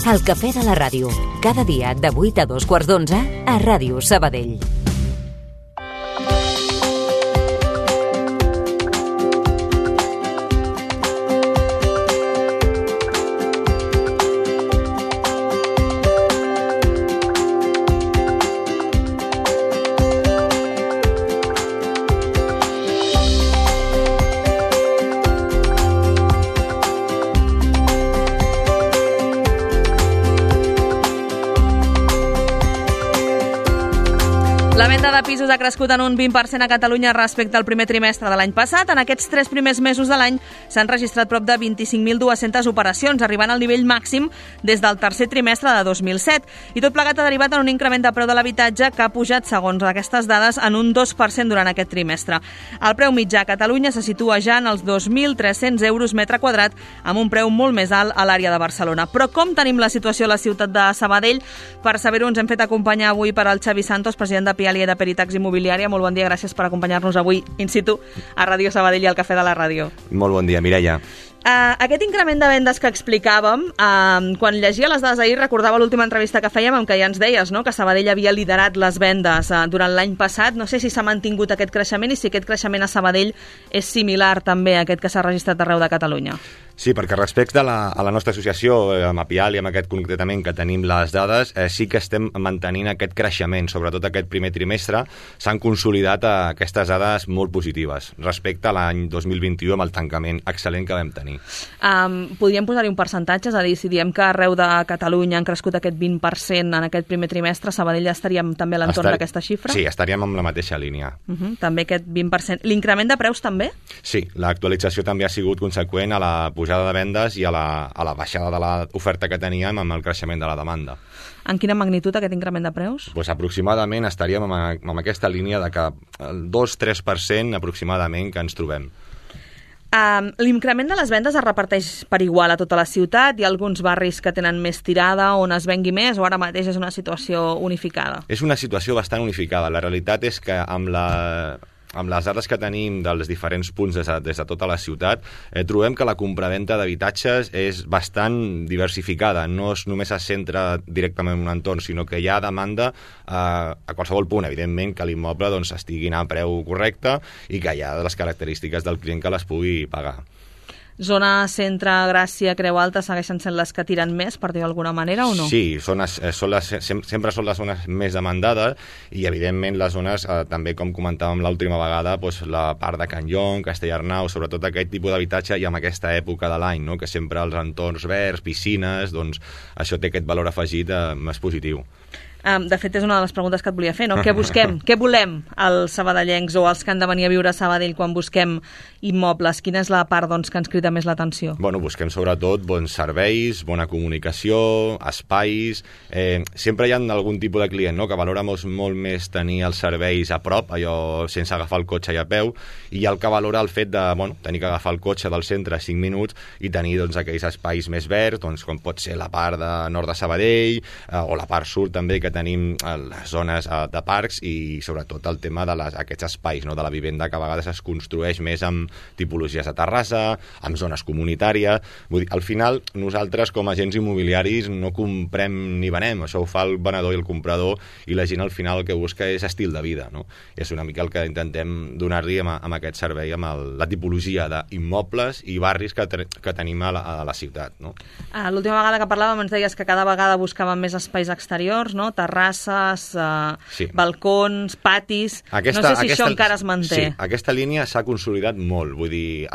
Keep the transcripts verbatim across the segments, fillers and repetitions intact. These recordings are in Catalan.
El Cafè de la Ràdio, cada dia de vuit a dos quarts d'onze a Ràdio Sabadell. La venda de pisos ha crescut en un vint per cent a Catalunya respecte al primer trimestre de l'any passat. En aquests tres primers mesos de l'any s'han registrat prop de vint-i-cinc mil dues-centes operacions, arribant al nivell màxim des del tercer trimestre de dos mil set. I tot plegat ha derivat en un increment de preu de l'habitatge que ha pujat, segons aquestes dades, en un dos per cent durant aquest trimestre. El preu mitjà a Catalunya se situa ja en els dos mil tres-cents euros metre quadrat, amb un preu molt més alt a l'àrea de Barcelona. Però com tenim la situació a la ciutat de Sabadell? Per saber-ho ens hem fet acompanyar avui per al Xavi Santos, president de Pialia de Peritax Immobiliària. Molt bon dia, gràcies per acompanyar-nos avui in situ a Ràdio Sabadell i al Cafè de la Ràdio. Molt bon dia, Mireia. Uh, aquest increment de vendes que explicàvem, uh, quan llegia les dades ahir recordava l'última entrevista que fèiem en què ja ens deies, no?, que Sabadell havia liderat les vendes uh, durant l'any passat. No sé si s'ha mantingut aquest creixement i si aquest creixement a Sabadell és similar també a aquest que s'ha registrat arreu de Catalunya. Sí, perquè respecte a la, a la nostra associació, amb Apial i amb aquest concretament que tenim les dades, eh, sí que estem mantenint aquest creixement, sobretot aquest primer trimestre. S'han consolidat eh, aquestes dades molt positives respecte a l'any dos mil vint-i-u amb el tancament excel·lent que vam tenir. Um, podríem posar-hi un percentatge? És a dir, si diem que arreu de Catalunya han crescut aquest vint per cent en aquest primer trimestre, Sabadell estaríem també a l'entorn Estar... d'aquesta xifra? Sí, estaríem amb la mateixa línia. Uh -huh, també aquest vint per cent. L'increment de preus també? Sí, l'actualització també ha sigut conseqüent a la pujada de vendes i a la, a la baixada de l'oferta que teníem amb el creixement de la demanda. En quina magnitud aquest increment de preus? Pues aproximadament estaríem amb, amb aquesta línia de que el dos a tres per cent aproximadament que ens trobem. Um, L'increment de les vendes es reparteix per igual a tota la ciutat? Hi ha alguns barris que tenen més tirada on es vengui més o ara mateix és una situació unificada? És una situació bastant unificada. La realitat és que amb la... amb les dades que tenim dels diferents punts des de, des de tota la ciutat, eh, trobem que la compraventa d'habitatges és bastant diversificada. No es, només es centra directament en un entorn, sinó que hi ha demanda eh, a qualsevol punt. Evidentment que l'immoble doncs, estigui a preu correcte i que hi ha les característiques del client que les pugui pagar. Zona centre, Gràcia, Creu Alta segueixen sent les que tiren més, per dir-ho d'alguna manera, o no? Sí, són, són les, sempre són les zones més demandades i, evidentment, les zones, eh, també, com comentàvem l'última vegada, doncs, la part de Can Llong, Castellarnau, sobretot aquest tipus d'habitatge i amb aquesta època de l'any, no?, que sempre els entorns verds, piscines, doncs això té aquest valor afegit eh, més positiu. Um, de fet, és una de les preguntes que et volia fer, no? Què busquem? Què volem els sabadellencs o els que han de venir a viure a Sabadell quan busquem immobles? Quina és la part doncs, que ens crida més l'atenció? Bueno, busquem sobretot bons serveis, bona comunicació, espais... Eh, sempre hi ha algun tipus de client, no?, que valora molt, molt més tenir els serveis a prop, allò sense agafar el cotxe i a peu, i hi ha el que valora el fet de bueno, tenir que agafar el cotxe del centre a cinc minuts i tenir doncs, aquells espais més verds, doncs, com pot ser la part de nord de Sabadell eh, o la part sud també, que tenim les zones de parcs i sobretot el tema de les, aquests espais, no?, de la vivenda que a vegades es construeix més amb tipologies de terrassa, amb zones comunitàries. Vull dir, al final nosaltres com a agents immobiliaris no comprem ni venem, això ho fa el venedor i el comprador i la gent al final el que busca és estil de vida, no? I és una mica el que intentem donar-li amb, amb aquest servei, amb el, la tipologia d'immobles i barris que, que tenim a la, a la ciutat, no? Ah, l'última vegada que parlàvem ens deies que cada vegada buscàvem més espais exteriors, no?, terrasses, eh, sí. balcons, patis... Aquesta, no sé si aquesta, això encara es manté. Sí, aquesta línia s'ha consolidat molt. Vull dir,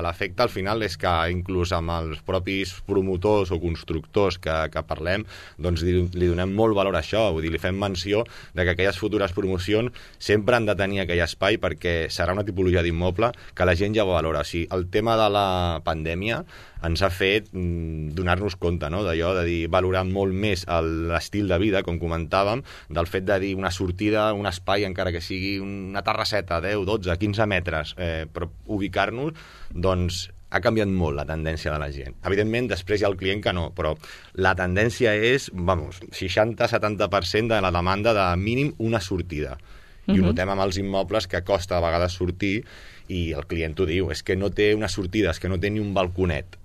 l'efecte al final és que inclús amb els propis promotors o constructors que, que parlem, doncs li, li donem molt valor a això. Vull dir, li fem menció de que aquelles futures promocions sempre han de tenir aquell espai perquè serà una tipologia d'immoble que la gent ja ho valora. O sigui, el tema de la pandèmia ens ha fet mm, donar-nos compte, no?, d'allò, de dir, valorar molt més l'estil de vida, com comentàvem, del fet de dir una sortida, un espai, encara que sigui una terrasseta, deu, dotze, quinze metres, eh, però ubicar-nos, doncs ha canviat molt la tendència de la gent. Evidentment, després hi ha el client que no, però la tendència és, vamos, seixanta a setanta per cent de la demanda de mínim una sortida. I ho notem amb els immobles que costa a vegades sortir i el client ho diu, és que no té una sortida, és que no té ni un balconet.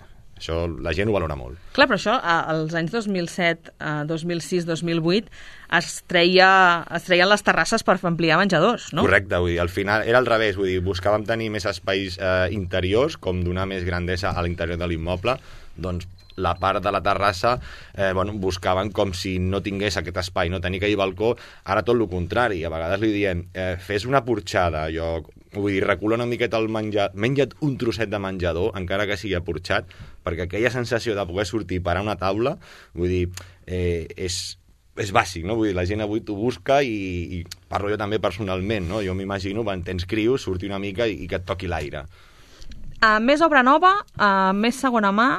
això la gent ho valora molt. Clar, però això als anys dos mil set, dos mil sis, dos mil vuit es, treia, es treien les terrasses per ampliar menjadors, no? Correcte, vull dir, al final era al revés, vull dir, buscàvem tenir més espais eh, interiors, com donar més grandesa a l'interior de l'immoble, doncs la part de la terrassa eh, bueno, buscaven com si no tingués aquest espai, no tenir que hi balcó, ara tot el contrari, a vegades li diem eh, fes una porxada, jo, vull dir, recula una miqueta el menjar, menja't un trosset de menjador, encara que sigui porxat, perquè aquella sensació de poder sortir per a una taula, vull dir, eh, és, és bàsic, no? Vull dir, la gent avui t'ho busca i, i parlo jo també personalment, no? Jo m'imagino, quan tens crios, sortir una mica i, i que et toqui l'aire. Uh, més obra nova, uh, més segona mà.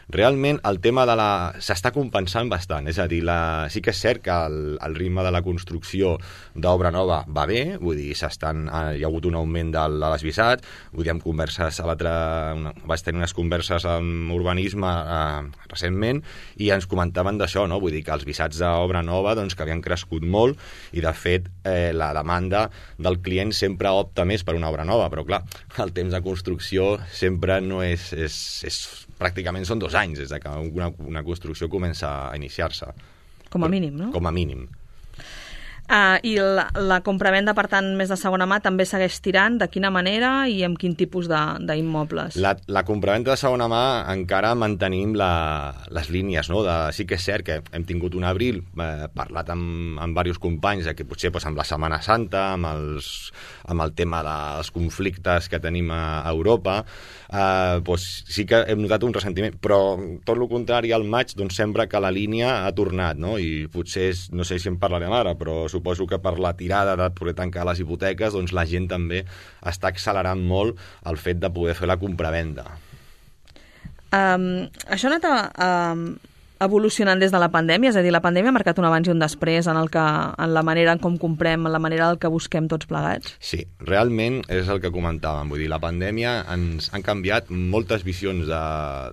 Realment el tema de la... s'està compensant bastant, és a dir, la... sí que és cert que el, el ritme de la construcció d'obra nova va bé, vull dir, s'estan... hi ha hagut un augment de, de les visats, vull dir, amb converses a l'altre... Una... vaig tenir unes converses amb urbanisme eh, recentment i ens comentaven d'això, no? Vull dir que els visats d'obra nova doncs, que havien crescut molt i, de fet, eh, la demanda del client sempre opta més per una obra nova, però, clar, el temps de construcció sempre no és... és, és pràcticament són dos anys des que una, una construcció comença a iniciar-se. Com a mínim, no? Com a mínim. Uh, I la, la compravenda, per tant, més de segona mà també segueix tirant? De quina manera i amb quin tipus d'immobles? La, la compravenda de segona mà encara mantenim la, les línies, no? De, sí que és cert que hem tingut un abril, eh, parlat amb, amb diversos companys, de que potser doncs, amb la Setmana Santa, amb, els, amb el tema dels conflictes que tenim a Europa, eh, doncs, sí que hem notat un ressentiment, però tot el contrari, al maig doncs, sembla que la línia ha tornat, no? I potser, és, no sé si en parlarem ara, però suposo que per la tirada de poder tancar les hipoteques, doncs la gent també està accelerant molt el fet de poder fer la compravenda. Um, això ha anat a, um, evolucionant des de la pandèmia, és a dir, la pandèmia ha marcat un abans i un després en, el que, en la manera en com comprem, en la manera en què busquem tots plegats? Sí, realment és el que comentàvem, vull dir, la pandèmia ens han canviat moltes visions de,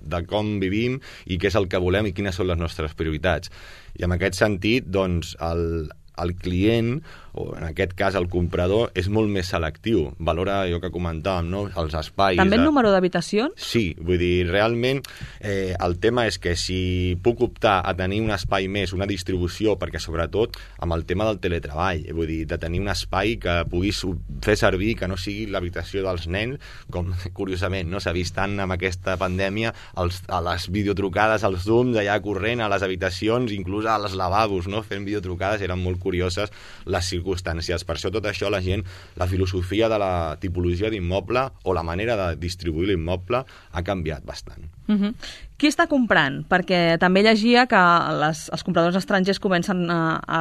de com vivim i què és el que volem i quines són les nostres prioritats. I en aquest sentit, doncs, el el client, o en aquest cas el comprador, és molt més selectiu. Valora allò que comentàvem, no? Els espais... També el número d'habitacions? Sí, vull dir, realment eh, el tema és que si puc optar a tenir un espai més, una distribució, perquè sobretot amb el tema del teletreball, vull dir, de tenir un espai que puguis fer servir, que no sigui l'habitació dels nens, com curiosament no s'ha vist tant amb aquesta pandèmia, els, a les videotrucades, als Zooms, allà corrent a les habitacions, inclús a les lavabos, no? Fent videotrucades, eren molt curioses les circumstàncies. Per això tot això la gent, la filosofia de la tipologia d'immoble o la manera de distribuir l'immoble ha canviat bastant. Uh-huh. Qui està comprant? Perquè també llegia que les, els compradors estrangers comencen a, a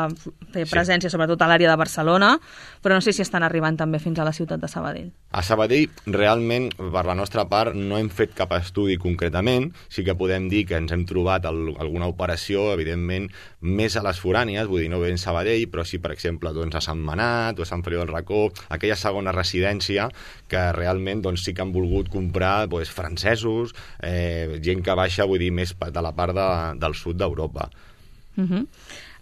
fer presència, sí, sobretot a l'àrea de Barcelona, però no sé si estan arribant també fins a la ciutat de Sabadell. A Sabadell, realment, per la nostra part, no hem fet cap estudi concretament. Sí que podem dir que ens hem trobat el, alguna operació, evidentment, més a les forànies, vull dir, no ben Sabadell, però sí, per exemple, doncs, a Sant Manat o a Sant Feliu del Racó, aquella segona residència que realment doncs, sí que han volgut comprar doncs, francesos, eh, gent que baixa, vull dir, més de la part de, del sud d'Europa. Uh-huh.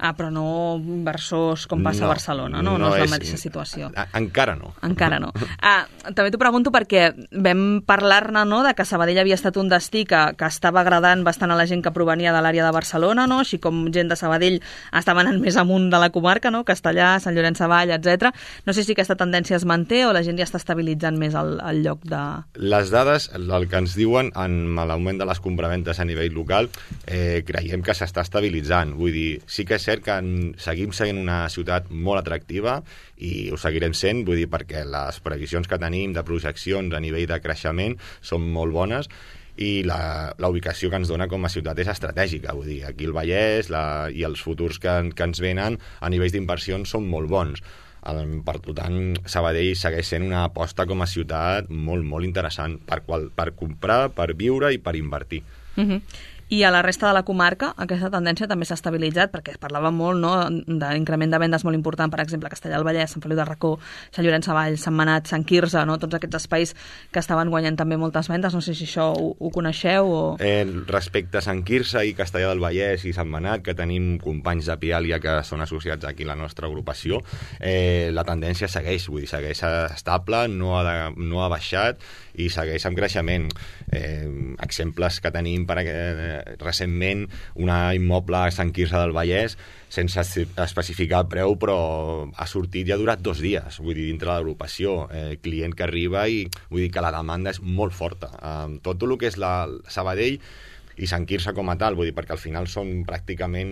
Ah, però no inversors com passa no, a Barcelona, no? No, no és la mateixa situació. A, encara no. Encara no. Ah, també t'ho pregunto perquè vam parlar-ne, no?, de que Sabadell havia estat un destí que, que estava agradant bastant a la gent que provenia de l'àrea de Barcelona, no? Així com gent de Sabadell estava anant més amunt de la comarca, no?, Castellà, Sant Llorenç Savall, etcètera. No sé si aquesta tendència es manté o la gent ja està estabilitzant més el, el lloc de... Les dades, el que ens diuen en l'augment de les compraventes a nivell local, eh, creiem que s'està estabilitzant. Vull dir, sí que és cert que en, seguim sent una ciutat molt atractiva i ho seguirem sent, vull dir, perquè les previsions que tenim de projeccions a nivell de creixement són molt bones i la, la ubicació que ens dona com a ciutat és estratègica, vull dir, aquí el Vallès la, i els futurs que, que ens venen a nivells d'inversions són molt bons. Per tant, Sabadell segueix sent una aposta com a ciutat molt, molt interessant per, qual, per comprar, per viure i per invertir. Uh-huh. I a la resta de la comarca aquesta tendència també s'ha estabilitzat, perquè es parlava molt, no?, d'increment de vendes molt important, per exemple, Castellà del Vallès, Sant Feliu del Racó, Sant Llorenç Savall, Sant Manat, Sant Quirze, no?, tots aquests espais que estaven guanyant també moltes vendes. No sé si això ho, ho coneixeu o... Eh, respecte a Sant Quirze i Castellà del Vallès i Sant Manat, que tenim companys de Piàlia que són associats aquí a la nostra agrupació, eh, la tendència segueix, vull dir, segueix estable, no ha, de, no ha baixat i segueix amb creixement. Eh, exemples que tenim per, eh, recentment, una immoble a Sant Quirze del Vallès, sense especificar el preu, però ha sortit i ha durat dos dies, vull dir, dintre de l'agrupació, eh, client que arriba i vull dir que la demanda és molt forta. Eh, tot el que és la Sabadell i Sant Quirze com a tal, vull dir, perquè al final són pràcticament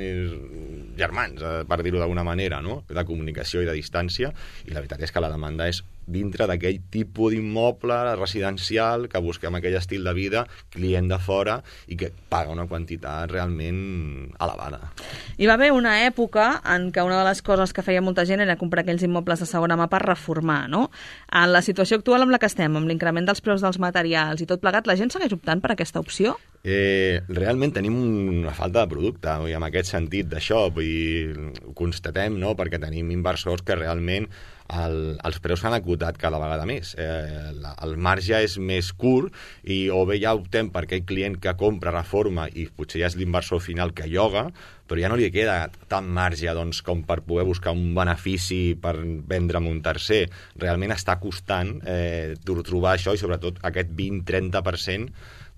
germans, eh, per dir-ho d'alguna manera, no? De comunicació i de distància, i la veritat és que la demanda és dintre d'aquell tipus d'immoble residencial que busquem aquell estil de vida, client de fora i que paga una quantitat realment elevada. Hi va haver una època en què una de les coses que feia molta gent era comprar aquells immobles de segona mà per reformar, no? En la situació actual amb la que estem, amb l'increment dels preus dels materials i tot plegat, la gent segueix optant per aquesta opció? Eh, realment tenim una falta de producte, i en aquest sentit d'això, vull dir, ho constatem, no?, perquè tenim inversors que realment el, els preus s'han acotat cada vegada més. Eh, la, el marge és més curt i o bé ja optem per aquell client que compra, reforma i potser ja és l'inversor final que lloga, però ja no li queda tant marge doncs, com per poder buscar un benefici per vendre'm un tercer. Realment està costant eh, trobar això i sobretot aquest vint a trenta per cent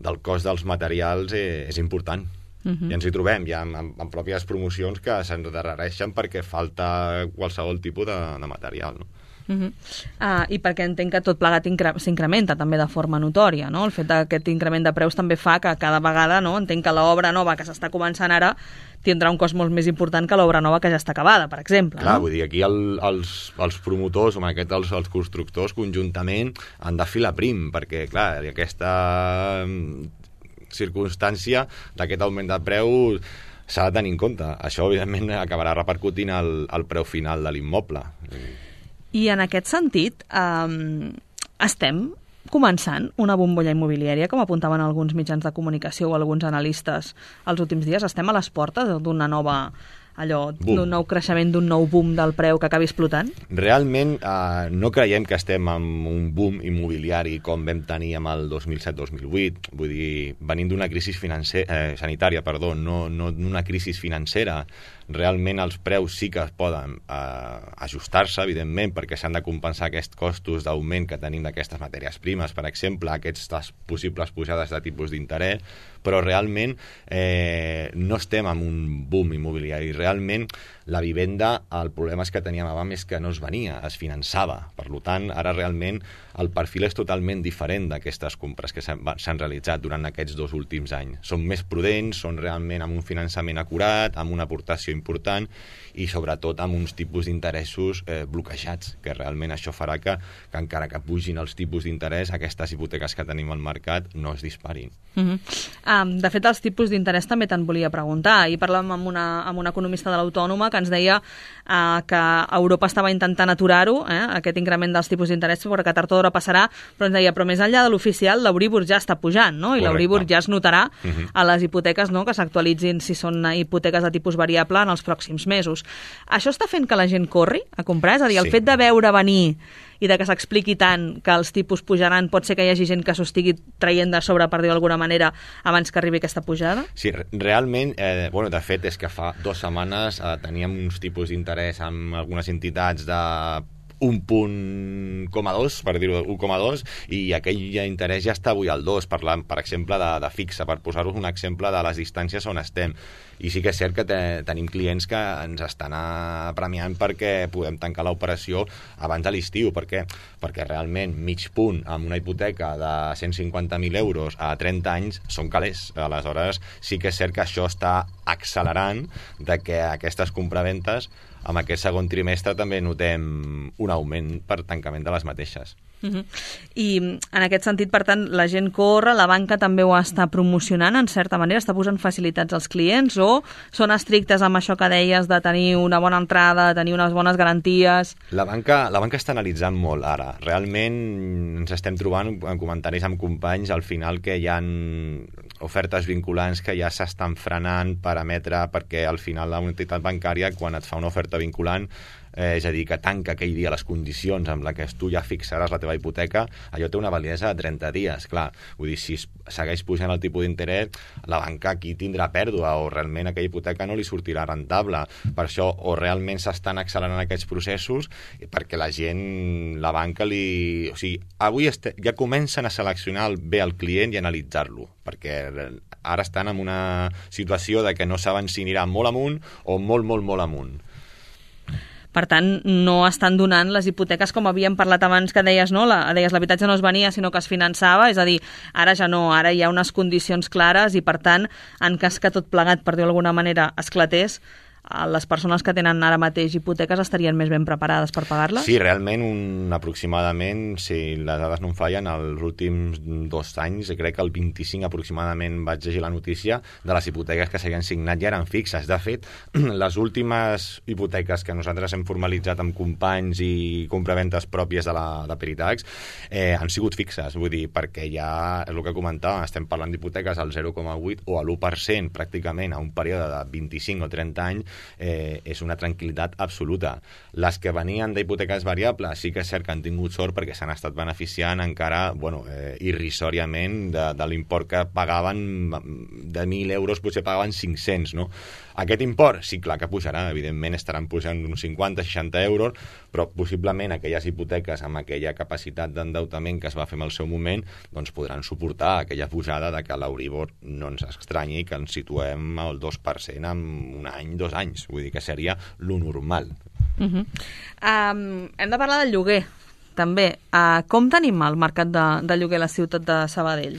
del cost dels materials eh, és important. Uh-huh. I ens hi trobem ja en, en pròpies promocions que s'endarrereixen perquè falta qualsevol tipus de, de material, no? Uh-huh. uh, I perquè entenc que tot plegat incre- s'incrementa també de forma notòria, no? El fet d'aquest increment de preus també fa que cada vegada, no? Entenc que l'obra nova que s'està començant ara tindrà un cost molt més important que l'obra nova que ja està acabada, per exemple. Clar, no? Vull dir, aquí el, els, els promotors, o en aquest els, els constructors, conjuntament han de filar prim, perquè, clar, aquesta circumstància d'aquest augment de preu s'ha de tenir en compte. Això, evidentment, acabarà repercutint al, al preu final de l'immoble. I en aquest sentit, eh, estem començant una bombolla immobiliària, com apuntaven alguns mitjans de comunicació o alguns analistes els últims dies. Estem a les portes d'una nova, allò, d'un nou creixement, d'un nou boom del preu que acabi explotant? Realment eh, no creiem que estem en un boom immobiliari com vam tenir amb el dos mil set dos mil vuit. Vull dir, venint d'una crisi financer, eh, sanitària, perdó, no, no d'una crisi financera. Realment els preus sí que es poden eh, ajustar-se, evidentment, perquè s'han de compensar aquests costos d'augment que tenim d'aquestes matèries primes, per exemple, aquestes possibles pujades de tipus d'interès, però realment eh, no estem en un boom immobiliari. Realment la vivenda, el problema és que teníem abans és que no es venia, es finançava. Per tant, ara realment el perfil és totalment diferent d'aquestes compres que s'han realitzat durant aquests dos últims anys. Són més prudents, són realment amb un finançament acurat, amb una aportació important i sobretot amb uns tipus d'interessos eh, bloquejats, que realment això farà que, que encara que pugin els tipus d'interès, aquestes hipoteques que tenim al mercat no es disparin. Uh-huh. um, de fet, els tipus d'interès també te'n volia preguntar. Ahir parlàvem amb una, amb una economista de l'Autònoma que ens deia uh, que Europa estava intentant aturar-ho, eh, aquest increment dels tipus d'interès, perquè que tard o d'hora passarà, però ens deia, però més enllà de l'oficial, l'Euríbor ja està pujant, no? I l'Euríbor ja es notarà uh-huh. a les hipoteques, no?, que s'actualitzin si són hipoteques de tipus variable en els pròxims mesos. Això està fent que la gent corri a comprar? És a dir, el sí. fet de veure venir i de que s'expliqui tant que els tipus pujaran, pot ser que hi hagi gent que s'ho estigui traient de sobre, per dir d'alguna manera, abans que arribi aquesta pujada? Sí, realment, eh, bueno, de fet, és que fa dues setmanes eh, teníem uns tipus d'interès amb algunes entitats de un punt coma dos, per dir-ho, un coma dos, i aquell interès ja està avui al dos, parlant, per exemple, de, de fixa, per posar-vos un exemple de les distàncies on estem. I sí que és cert que te, tenim clients que ens estan premiant perquè podem tancar l'operació abans de l'estiu. Per què? Perquè realment mig punt amb una hipoteca de cent cinquanta mil euros a trenta anys són calés. Aleshores, sí que és cert que això està accelerant de que aquestes compraventes amb aquest segon trimestre també notem un augment per tancament de les mateixes. Uh-huh. I en aquest sentit, per tant, la gent corre, la banca també ho està promocionant, en certa manera, està posant facilitats als clients, o són estrictes amb això que deies de tenir una bona entrada, de tenir unes bones garanties? La banca, la banca està analitzant molt ara. Realment ens estem trobant en comentaris amb companys al final que hi ha ofertes vinculants que ja s'estan frenant per emetre, perquè al final la entitat bancària, quan et fa una oferta vinculant, eh, és a dir, que tanca aquell dia les condicions amb la que tu ja fixaràs la teva hipoteca, allò té una validesa de trenta dies, clar. Vull dir, si segueix pujant el tipus d'interès, la banca aquí tindrà pèrdua o realment aquella hipoteca no li sortirà rentable. Per això, o realment s'estan accelerant aquests processos perquè la gent, la banca li... O sigui, avui este... ja comencen a seleccionar bé el client i analitzar-lo, perquè ara estan en una situació de que no saben si anirà molt amunt o molt, molt, molt amunt. Per tant, no estan donant les hipoteques com havíem parlat abans que deies, no? La, deies l'habitatge no es venia, sinó que es finançava, és a dir, ara ja no, ara hi ha unes condicions clares i, per tant, en cas que tot plegat, per dir-ho d'alguna manera, esclatés, les persones que tenen ara mateix hipoteques estarien més ben preparades per pagar-les? Sí, realment, un, aproximadament, si les dades no em fallen, els últims dos anys, crec que el vint-i-cinc aproximadament vaig llegir la notícia de les hipoteques que s'havien signat ja eren fixes. De fet, les últimes hipoteques que nosaltres hem formalitzat amb companys i compraventes pròpies de la de Peritax eh, han sigut fixes, vull dir, perquè ja, és el que comentàvem, estem parlant d'hipoteques al zero coma vuit o a l'u per cent pràcticament a un període de vint-i-cinc o trenta anys. Eh, és una tranquil·litat absoluta. Les que venien d'hipoteques variables sí que és cert que han tingut sort perquè s'han estat beneficiant encara, bueno, eh, irrisòriament de, de l'import que pagaven de mil euros, potser pagaven cinc-cents, no? Aquest import, sí, clar que pujarà, evidentment estaran pujant uns cinquanta seixanta euros, però possiblement aquelles hipoteques amb aquella capacitat d'endeutament que es va fer en el seu moment, doncs podran suportar aquella pujada de que l'Euribor no ens estranyi que ens situem al dos per cent en un any, dos anys. Vull dir que seria lo normal. Uh-huh. um, hem de parlar del lloguer, també. Uh, com tenim el mercat de, de lloguer a la ciutat de Sabadell?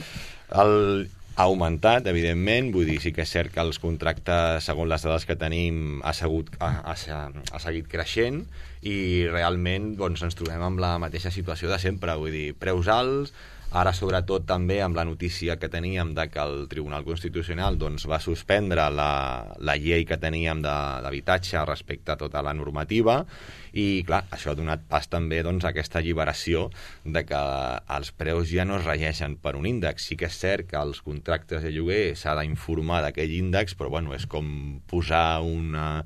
El... ha augmentat, evidentment, vull dir, sí que és cert que els contractes, segons les dades que tenim, ha, segut, ha, ha, ha seguit creixent i realment doncs, ens trobem amb la mateixa situació de sempre, vull dir, preus alts, ara sobretot també amb la notícia que teníem de que el Tribunal Constitucional doncs, va suspendre la, la llei que teníem d'habitatge respecte a tota la normativa i clar, això ha donat pas també doncs, a aquesta alliberació de que els preus ja no es regeixen per un índex. Sí que és cert que els contractes de lloguer s'ha d'informar d'aquell índex, però bueno, és com posar una,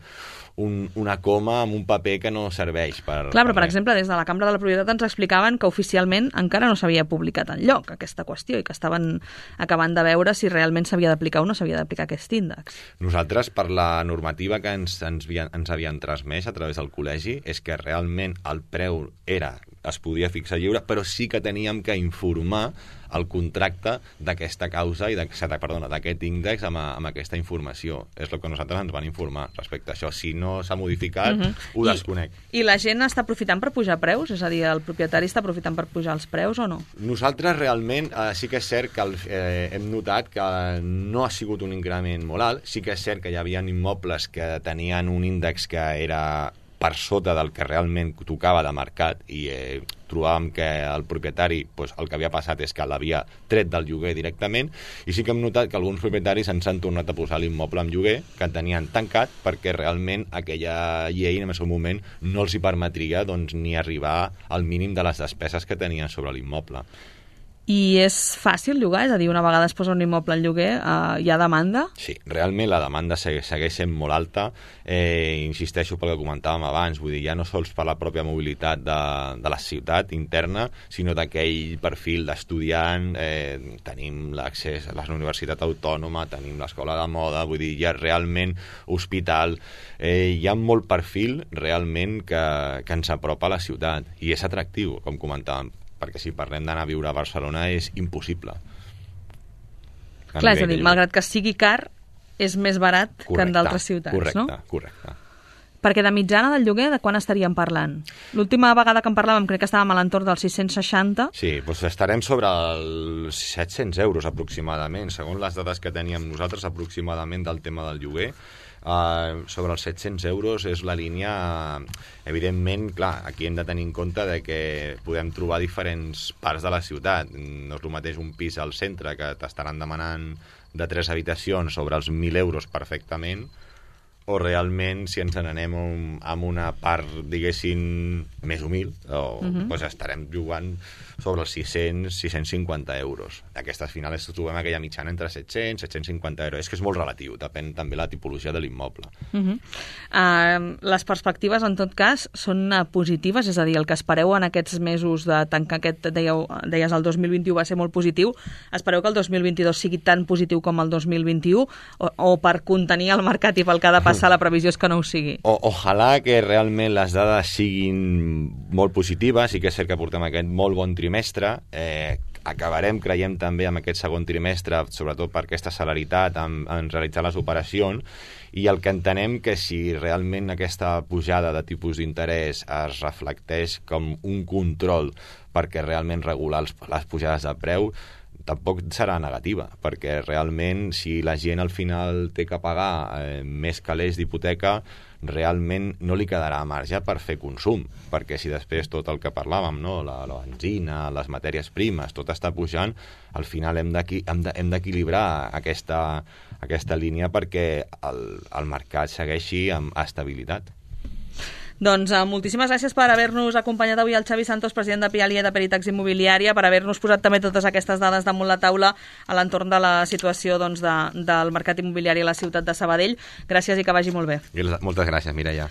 un, una coma en un paper que no serveix per... Clar, però per exemple, des de la Cambra de la Propietat ens explicaven que oficialment encara no s'havia publicat enlloc aquesta qüestió i que estaven acabant de veure si realment s'havia d'aplicar o no s'havia d'aplicar aquest índex. Nosaltres, per la normativa que ens, ens, ens havien transmès a través del col·legi, és que realment el preu era, es podia fixar lliure, però sí que teníem que informar el contracte d'aquesta causa i d'aquest índex amb, amb aquesta informació. És el que nosaltres ens van informar respecte a això. Si no s'ha modificat, uh-huh. ho desconec. I, I la gent està aprofitant per pujar preus? És a dir, el propietari està aprofitant per pujar els preus o no? Nosaltres realment eh, sí que és cert que el, eh, hem notat que no ha sigut un increment molt alt. Sí que és cert que hi havia immobles que tenien un índex que era per sota del que realment tocava de mercat i eh, trobàvem que el propietari pues, el que havia passat és que l'havia tret del lloguer directament i sí que hem notat que alguns propietaris ens han tornat a posar l'immoble en lloguer que tenien tancat perquè realment aquella llei en el seu moment no els hi permetria doncs, ni arribar al mínim de les despeses que tenien sobre l'immoble. I és fàcil llogar? És a dir, una vegada es posa un immoble en lloguer, eh, hi ha demanda? Sí, realment la demanda segueix, segueix sent molt alta. Eh, insisteixo pel que comentàvem abans, vull dir, ja no sols per la pròpia mobilitat de, de la ciutat interna, sinó d'aquell perfil d'estudiant, eh, tenim l'accés a la Universitat Autònoma, tenim l'Escola de Moda, vull dir, hi ha realment hospital, eh, hi ha molt perfil realment que, que ens apropa a la ciutat, i és atractiu, com comentàvem, perquè si parlem d'anar a viure a Barcelona és impossible. Clar, és a dir, malgrat que sigui car, és més barat correcte, que en d'altres ciutats, correcte, no? Correcte, correcte. Perquè de mitjana del lloguer, de quan estaríem parlant? L'última vegada que en parlàvem crec que estàvem a l'entorn dels sis-cents seixanta. Sí, doncs estarem sobre els set-cents euros aproximadament, segons les dades que teníem nosaltres aproximadament del tema del lloguer. Uh, sobre els set-cents euros és la línia, uh, evidentment, clar, aquí hem de tenir en compte de que podem trobar diferents parts de la ciutat. No és el mateix un pis al centre que t'estaran demanant de tres habitacions sobre els mil euros perfectament, o realment si ens n'anem amb una part, diguéssim, més humil, o uh-huh. doncs estarem jugant sobre els sis-cents, sis-cents cinquanta euros. Aquestes finals trobem aquella mitjana entre set-cents, set-cents cinquanta euros. És que és molt relatiu, depèn també la tipologia de l'immoble. Uh-huh. Uh, les perspectives, en tot cas, són uh, positives, és a dir, el que espereu en aquests mesos de tancar aquest, dèieu, deies, el dos mil vint-i-u va ser molt positiu, espereu que el dos mil vint-i-dos sigui tan positiu com el dos mil vint-i-u, o, o per contenir el mercat i pel que ha de passar, la previsió és que no ho sigui? O, ojalà que realment les dades siguin molt positives, i que és cert que portem aquest molt bon trimestre, eh, acabarem, creiem, també amb aquest segon trimestre, sobretot per aquesta celeritat en, en realitzar les operacions, i el que entenem que si realment aquesta pujada de tipus d'interès es reflecteix com un control perquè realment regular els, les pujades de preu, tampoc serà negativa, perquè realment si la gent al final té que pagar eh, més calés d'hipoteca, realment no li quedarà marge per fer consum, perquè si després tot el que parlàvem, no? la, la benzina, les matèries primes, tot està pujant, al final hem d'equilibrar aquesta, aquesta línia perquè el, el mercat segueixi amb estabilitat. Doncs uh, moltíssimes gràcies per haver-nos acompanyat avui el Xavi Santos, president de Pialia de Peritax Immobiliària, per haver-nos posat també totes aquestes dades damunt la taula a l'entorn de la situació doncs, de, del mercat immobiliari a la ciutat de Sabadell. Gràcies i que vagi molt bé. Moltes gràcies, Mireia.